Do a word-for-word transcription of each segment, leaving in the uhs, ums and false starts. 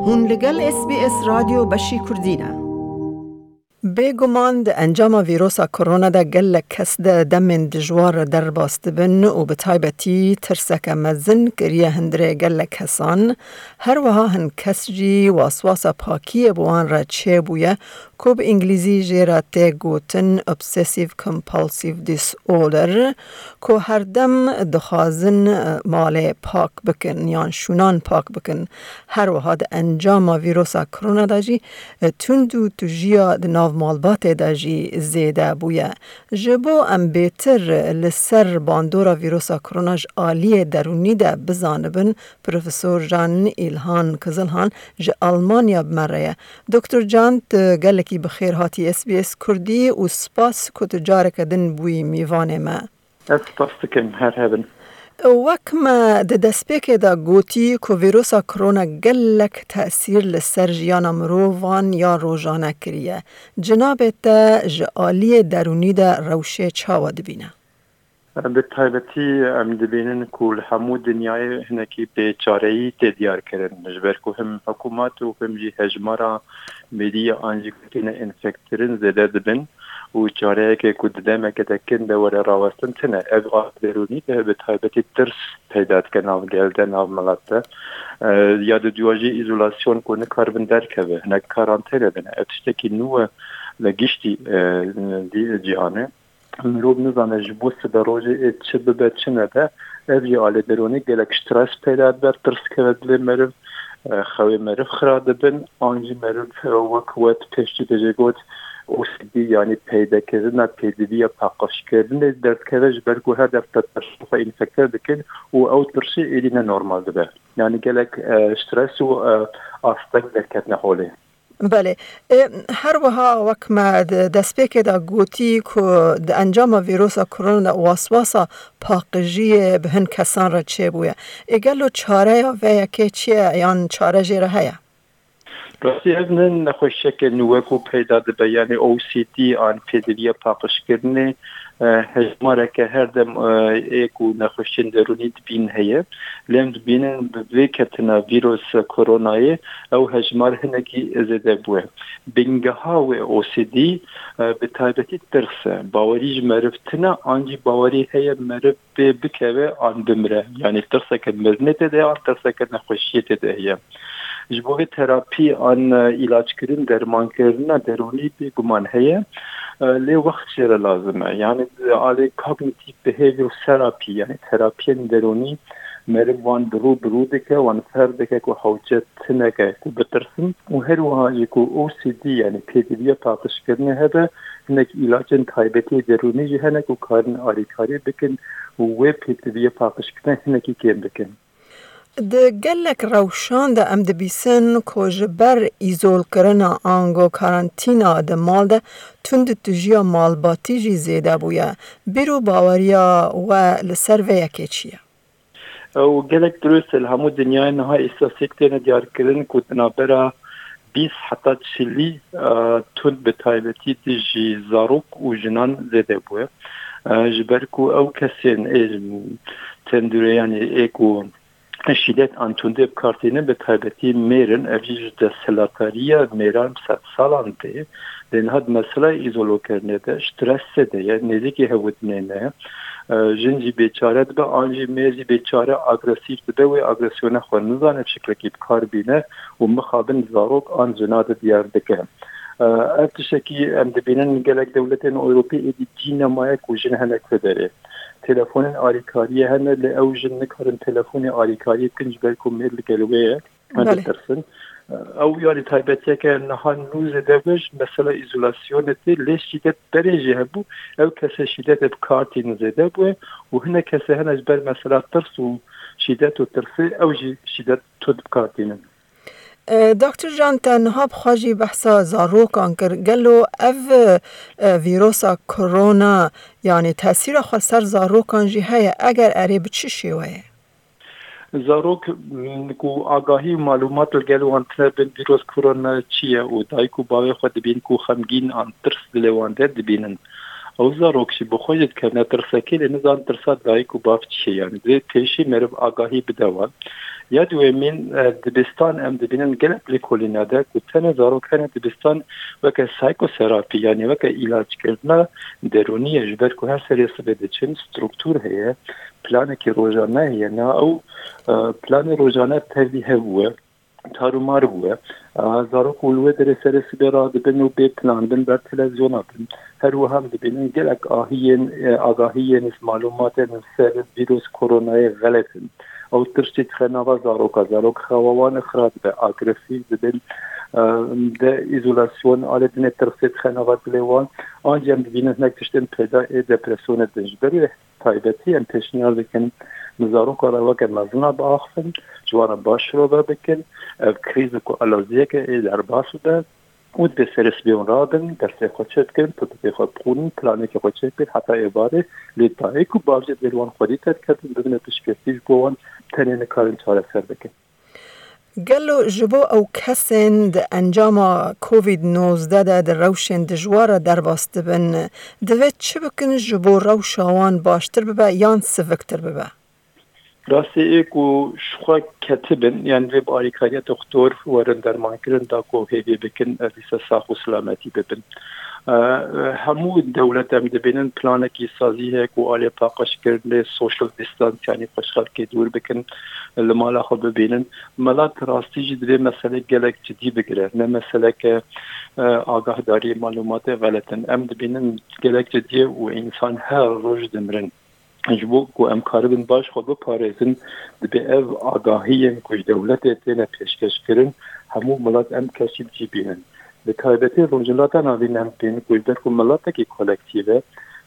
Hûn li gel S B S Radyo Beşî Kurdî ne. Bêguman di encama vîrosa korona de gelek kes de demên dijwar derbas dibin û bi taybetî tirseke mezin kiriye hundirê gelek kesan. Her wiha hin kes jî waswasa pakiyê bi wan re çêbûye, ku bi îngilîzî jê re tê gotin obsessive compulsive disorder, ku her dem dixwazin, e, malê pak bikin yan şûnan pak bikin. Her wiha di encama vîrosa korona de jî, e, tund û tujiya di nav malbatê de jî zêde bûye. Ji bo em bêtir li ser bandora vîrosa korona ji aliyê derûnî de bizanibin, Profesor Can Îlhan Kizilhan ji Almanya bi me re ye. Doktor Can, tu gelekî bi xêr hatî S B S Kurdî û spas ku tu careke din bûyî mîvanê me. Ez spas dikim, her hebin. Wek me di destpêkê de gotî ku vîrosa korona gelek tesîr li ser jiyana mirovan ya rojane kiriye. Cinabê te ji aliyê derûnî de rewşê çawa dibîne? Bi taybetî em dibînin ku li hemû dinyayê hinekî bêçareyî tê diyar kirin. Ji ber ku him hikûmet û him jî hejmara mîrî an jî ku têne enfektirin zêde dibin û çareyeke ku di demeke de kin de were rawestin tine. Ev a derûnî de bi taybetî tirs peyda dike nav gel de, nav milet de. E, ya di duwa jî îzolasyon ku nikaribin derkeve, hinek karantene de ne. Ev tiştekî nû e li giştî, e, dî-, cîhanê. Mirov nizane ji bo siberojê ê çi bibe çi nebe, ev jî alê derûnî gelek stres peyda dibe, tirs keve dilê meriv, e, xewê meriv xira dibin, an jî meriv, e, wek we tu pêştî de jê got, O C D, yanî peydekirina pêdiviya paqijkirinê derdikeve, ji ber ku her dem te tirs xwe enfekte dikin û ew tirsê êdî ne normal dibe. Yanî gelek, e, stres û, e, asteng derketine holê. Belê. E, her wiha wek me di destpêkê de gotî ku di encama vîrosa korona de waswasa paqijiyê bi hin kesan re çêbûye. Ê gelo çareya vê yekê çi ye yan çare jê re heye? Rastî ev ne nexweşiyeke nû wek ku peyda dibe, yanî O C D an pêdiviya paqijkirinê, e, hejmareke her dem, e, ê ku nexweşiyên derûnî dibîn heye. Lê em dibînin bi vê ketina vîrosa koronayê ew hejmar hinekî zêde bûye. Bingeha wê O C D, e, bi taybetî tirs e. Bawerî ji meriv tune, an jî bawerî heye meriv pê bikeve an bimire. Yanî tirseke mirinê tê de ye, an tirseke nexweşiyê tê de heye. Ji bo vê terapî an, e, îlackirin, dermankirina derûnî bêguman heye. E, lê wext jê re lazim e. Yanî, e, alê cognitive behavioral therapy, yanî terapiyên derûnî meriv wan bi rû bi rû dike, wan fêr dike ku hewce tineke ku bitirsin û her wiha jî ku O C D, yanî pêdiviya paqijkirinê hebe, hinek îlacên taybetî derûnî jî hene ku karin alîkarî bikin û wê pêdiviya paqijkirinê hinekî kêm bikin. Di gelek rewşan de em dibîsin ku ji ber îzolkirina ango karantîna di mal de tundûtijiya malbatî jî zêde bûye. Bîr û baweriya we li ser vê yekê çi ye? Ew gelek dirust e. Li hemû dinyayê niha îstatîstîk têne diyarkirin ku di navbera bîst heta çilî, e, tund bi taybetî dijî zarok û jinan zêde bûye. E, ji ber ku ew kesên ê tendûreyanî ê ku şîdet an tundê bi kar tînin, bi taybetî mêr in, ev jî ji desthilatdariya mêran bi sedsalan tê. Lê niha di mesela îzolokirinê de, stresê de ye, nêzîkî hevdinê ne. E, jin jî bêçare dibe, an jî mêr jî bêçare agresîf dibe, wê agresyona xwe nizane bi şiklekî bi kar bîne û mixabin zarok an jina de diyar dike. E, ev tiştekî em dibînin gelek dewletên Ewropî êdî cî nemaye ku jin henek vê derê. Telefonên alîkariyê hene, lê ew jin nikarin telefonê alîkariyê bikin, ji ber ku mêr li gel wê ye. Em Belê. Ditirsin. Ew yanî taybetiyeke niha nû zêde be ji mesela îzolasyonê tê, lê şîdet berê jî hebû, ew kesê şîdetê bi kar tînin zêde bûye û hinek kesê hene ji ber mesela tirs û şîdet û tirsê ew jî şîdet tund bi kar tînin. E, Doktor Can, te niha bi xwe jî behsa zarokan kir. Gelo ev, e, vîrosa korona, yanî tesîra xwe ser zarokan jî heye? Eger erê, bi çi şêweyê? Zarok, m, ku agahî û malûmat li gel wan tune bin vîros korona çi ye û dayik û bavê xwe dibîn ku xemgîn an tirs dilê wan de dibînin. Ew zarok jî bi xwe jî dikevine tirsekê, lê nizan tirsa dayik û bav çi ye. Yani divê pêşî meriv agahî bide wan. Ya duyemîn, e, dibistan em dibînin gelek lêkolîne de ku tenê zarok hene dibistan weke psychotherapy, yani weke îlacekirina derûnî ye, ji ber ku her serê sibê diçin, struktûr heye, planekî rojane heye, na ew, e, planê rojane tevî hebûye, tarûmar bûye. E, zarok û li wê derê serê sibê radibin û bê plan bin, ber televizyona bin. Her wiha em dibînin gelek ahiyên, e, agahiyên, malûmatên li ser vîrus koronayê xelet in. Ew tirşî dixe nava zaroka, zarok xewa wan xira dibe, agresîf dibin. E, de îzolasyon alê dinê tirsê dixe nava dilê wan. Ancî em dibînin hinek tiştên peyda ê depresyonê din. Ji ber wê taybetî em pêşniyar dikin, bi zaroka re weke mezina biaxivin, ji wan re baş şirove bikin, ev krîz ku aloziyeke ê derbas bibe û dibê serê sibê hûn rabin, dersê xwe çêbikin, pirtûkê xwe bixwînin, planekê xwe çêbikin, heta êvarê lê dayik û bav jî divê li wan xwedî derkevin, bibine piştgirtî ji bo wan, tenê nikarin çareser bikin. Gelo ji bo ew kesên di encama covid nozdeh de di rewşên dijwar re derbas dibin, divê çi bikin ji bo rewşa wan baştir bibe yan siviktir bibe? Rastî ê ku ji xwe ketibin, yan divê bi alîkariya doktor werin dermankirin da ku hêvî bikin, ez dîsa sax û silametî bibin. E, hemû dewlet em dibînin planekî sazî heye ku alê paqijkirinê, social distance, yanî xwe ji xelkê dûr bikin, li mala xwe bibînin. Milet rastî jî divê meselê gelek cidî bigire. Ne meseleke, e, agahdarî, malûmatê xelet in. Em dibînin gelek cidî ye û însan her roj dimirin. Ji bo ku em karibin baş xwe biparêzin, divê ev agahiyên ku ji dewletê têne pêşkêşkirin, hemû milet em kesî bi cî bînin. Bi taybetî Rojhilata Navîn em tên ku ji ber ku miletekî kolektîv e,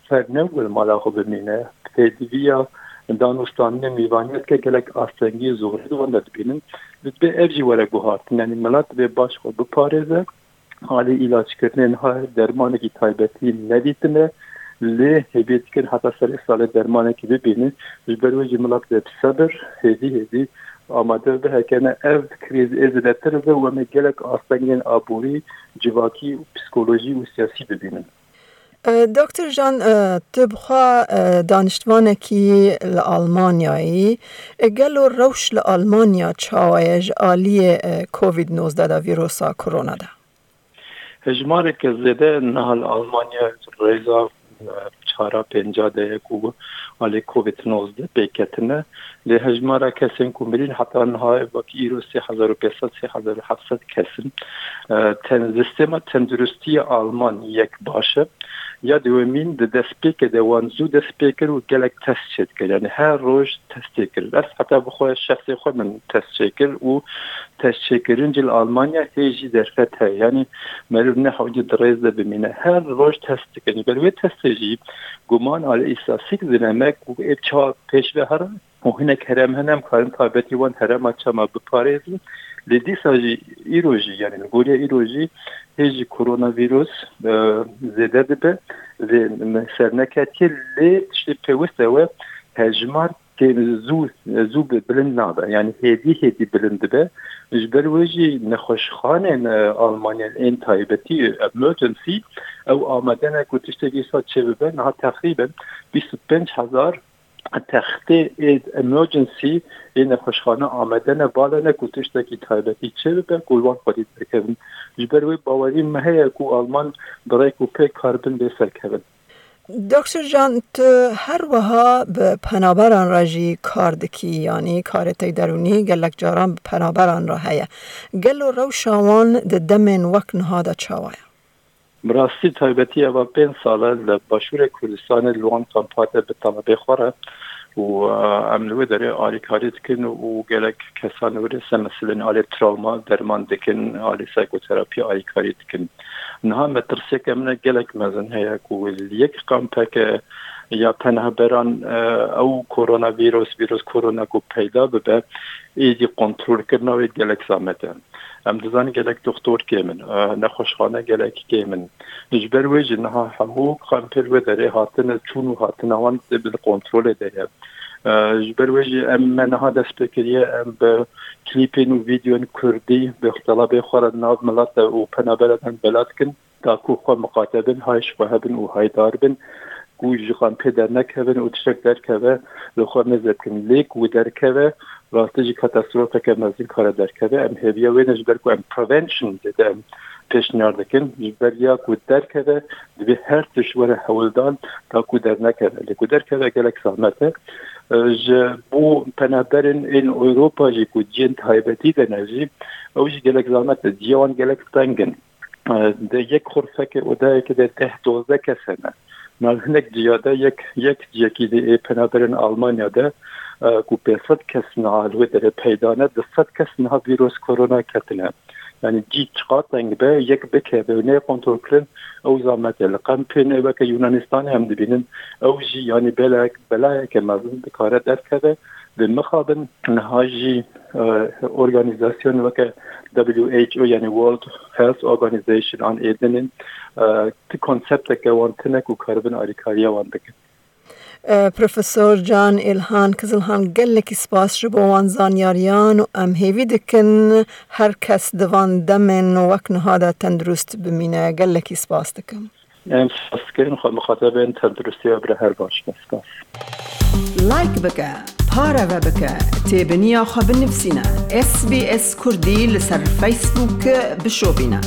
ser ne wil mala xwe bimîne, pêdiviya danûstandinê mîvaniyetke gelek astengî û zorê di wan de dibînin. Divê ev jî were guhartin, yanî milet divê baş xwe biparêze. Alî îlackirinê niha dermanekî taybetî nedîtine, lê hêvî dikin heta serê salê dermanekî bibînin. Ji ber wê jî milet divê bi sebir, hêdî hêdî amade bibe, heke ne ev krîz ê zêdetir bibe û em ê gelek astengên aborî, civakî û psîkolojî û siyasî bibînin. E, Doktor Jan, e, tu bi xwe, e, daniştvanekî li Almanyayî. E, gelo rewş li Almanya çawa ye ji aliyê, e, covid nozdeh de, vîrusa korona de? Hejmareke zêde niha li Almanya rêza, e, çara pênca de ye ku alê covid nozdeh pê ketine. Lê hejmara kesên ku mirîn heta niha wekî îro sê hezar û pênc sed, sê hezar û heft sed kes in. E, ten-, sistema tenduristî ya Alman yek baş e. Ya duyemîn di destpêkê de wan zû dest pê kir û gelek test çêdikir. Yani her roj testê kir. Ez heta bi xwe şexsê xwe min test çêkir û test çêkirin jî li Almanya hê jî derfet heye. Yani meriv ne hewce di rêz de bimîne. Her roj test dikin. Ber wê testê jî guman alê îstatîstîk zî ne me ku ê çawa pêş ve here. Û hinek herem hene, em karin taybetî wan herema çema biparêzin. Lê dîsa jî îro jî, yani li goriya îro jî hê jî koronavîrus, e, zêde dibe. Lê me ser neketiye, lê tiştê pêwist ew e, hejmar kêm zû, zû bi-, bilind nabe. Yani hêdî hêdî bilind dibe. Ji ber wê jî nexweşxanên, e, Almanya ên taybetî, emergency, ew amade ne ku tiştekî wisa çêbibe. Niha teqrîben bîst û pênc hezar textê ê emergency ê nexweşxane amade ne, bale ne ku tiştekî taybetî çêbibe ku wan xwedî derkevin. Ji ber wê bawerî me heye ku Alman bi rêk û pêk karibin bê serkevin. Doktor Jan, tu her wiha bi penaberan re jî kar dikî, yanî karê te derûnî gelek caran bi penaberan re heye. Gelo rewşa wan di demên wek niha de çawa ye? Bi rastî taybetî eva pênc sal e li Başûrê Kurdistanê li wan kampa de bi talebê xwe re û, e, em li wê derê alîkarî dikin û gelek kesan li wê ser meselên alê trawma derman dikin, alê psîkoterapî alîkarî dikin. Niha metirsiyeke min e gelek mezin heye ku li yek kampeke ya penahberan, e, ew koronavîrus, vîrus korona ku peyda bibe, êdî kontrolkirina wê gelek zamet e. Em dizanin gelek doktor kêm in, e, nexweşxane gelek kêm in. Ji ber wê jî niha hemû kampên wê derê hatine çûn û hatina wan di bin kontrolê de ye. Ji ber wê jî em me niha dest pê kiriye, em bi klîpên û vîdeoyên kurdî bi xtelabê xwe re nav milete û penaberedan bela dikin. Da ku xwe miqate bin, hay ji xwe hebin û haydar bin, ku ji kampê dernekevin û tiştek derkeve, li xwe mêze bikin. Lê ku derkeve, rastî jî katastrofeke mezin kare derkeve. Em hêviya wê ne, ji ber ku em prevention zêde em pêşniyar dikin. Ji ber ya ku derkeve, divê her tişt were hewldan, da ku dernekeve. Lê ku derkeve gelek zehmet e. Ji bo penaberên ên Ewropa jî ku ciyên taybetî de ne jî, ew jî gelek zehmet e. Ciya wan gelek teng in. De yek xurfeke odayeke de deh dozdeh kes hene. Nav hinek ciya de yek, yek ciyekî de ê penaberên Almanya de, e, ku pênc sed kes niha li wê derê peyda ne, du sed kes niha vîros korona ketine. Yani cî çiqa teng be, yek bikeve û neyê kontrolkirin, ew zehmet e. Li kampên weke Yunanistanê em dibînin, ew jî yani belek, belayeke mezin dikare derkeve. Lê mixabin niha jî, e, organîzasyon weke W H O, yani World Health Organization an ê din in, e, ti konsepteke wan tune ku karibin alîkariya wan bikin. E, Profesor Can Ilhan Kizilhan, gelekî spas ji bo wan zanyariyan û em hêvî dikin her kes di van demên wek niha de tendurist bimîne. Gelekî spas dikim. Em spas dikin, xwe miqate bin, tenduristiya bira her baş be. Spas. Like bike, pareve bike, têbiniya xwe binivîsîne. S B S Kurdî li ser Facebook bişopîne.